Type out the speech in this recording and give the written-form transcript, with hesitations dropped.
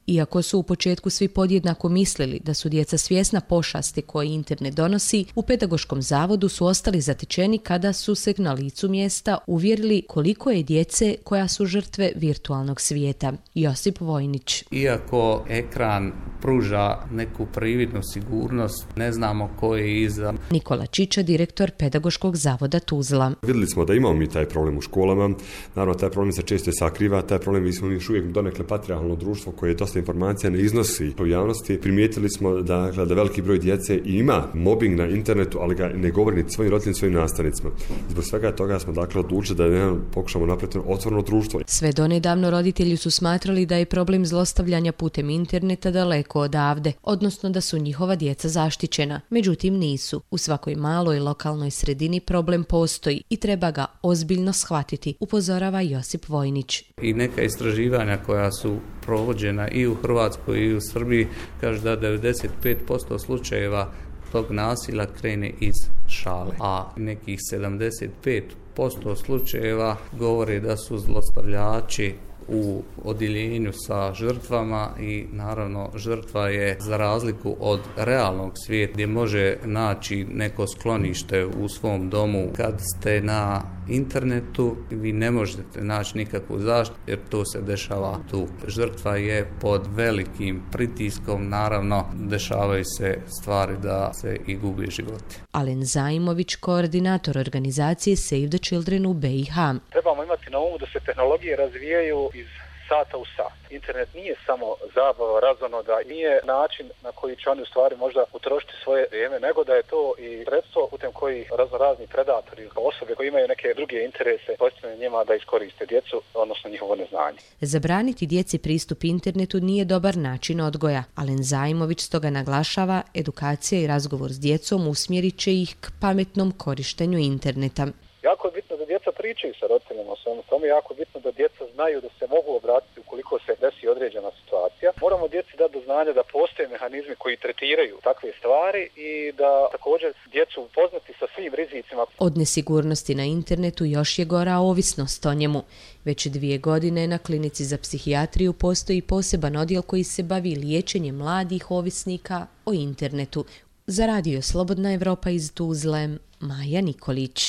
Iako su u početku svi podjednako mislili da su djeca svjesna pošasti koje internet donosi, u Pedagoškom zavodu su ostali zatečeni kada su se na licu mjesta uvjerili koliko je djece koja su žrtve virtualnog svijeta. Josip Vojnić. Iako ekran pruža neku prividnu sigurnost, ne znamo ko je iza. Nikola Čiča, direktor Pedagoškog zavoda Tuzla. Vidjeli smo da imamo mi taj problem u školama. Naravno, taj problem se često sakriva. Taj problem, mi smo još uvijek donekle patrijarhalno društvo koje dosta informacija ne iznosi u javnosti. Primijetili smo da veliki broj djece ima mobbing na internetu, ali ga ne govori ni svojim roditeljima, svojim nastavnicima. Zbog svega toga smo odlučili da pokušamo napraviti otvoreno društvo. Sve donedavno roditelji su smatrali da je problem zlostavljanja putem interneta daleko odavde, odnosno da su njihova djeca zaštićena. Međutim, nisu. U svakoj maloj lokalnoj sredini problem postoji i treba ga ozbiljno shvatiti, upozorava Josip Vojnić. I neka istraživanja koja su provođena i u Hrvatskoj i u Srbiji kaže da 95% slučajeva tog nasilja krene iz šale, a nekih 75% slučajeva govore da su zlostavljači u odjeljenju sa žrtvama i naravno žrtva je za razliku od realnog svijeta gdje može naći neko sklonište u svom domu. Kad ste na internetu vi ne možete naći nikakvu zaštitu jer to se dešava tu. Žrtva je pod velikim pritiskom, naravno dešavaju se stvari da se i gubi životi. Alen Zajmović, koordinator organizacije Save the Children u BiH. Trebamo imati na umu da se tehnologije razvijaju iz sata u sat. Internet nije samo zabava, razonoda, nije način na koji će oni u stvari možda utrošiti svoje vrijeme, nego da je to i sredstvo putem koji razni predatori, osobe koji imaju neke druge interese, postavljaju njima da iskoriste djecu, odnosno njihovo neznanje. Zabraniti djeci pristup internetu nije dobar način odgoja. Alen Zajmović stoga naglašava, edukacija i razgovor s djecom usmjerit će ih k pametnom korištenju interneta. Jako je bitno da djeca pričaju sa roditeljima o svemu tome, jako je bitno da djeca znaju da se mogu obratiti ukoliko se desi određena situacija. Moramo djeci dati do znanja da postoje mehanizmi koji tretiraju takve stvari i da također djecu upoznati sa svim rizicima. Od nesigurnosti na internetu još je gora ovisnost o njemu. Već 2 godine na klinici za psihijatriju postoji poseban odjel koji se bavi liječenjem mladih ovisnika o internetu. Za Radio Slobodna Evropa iz Tuzle, Maja Nikolić.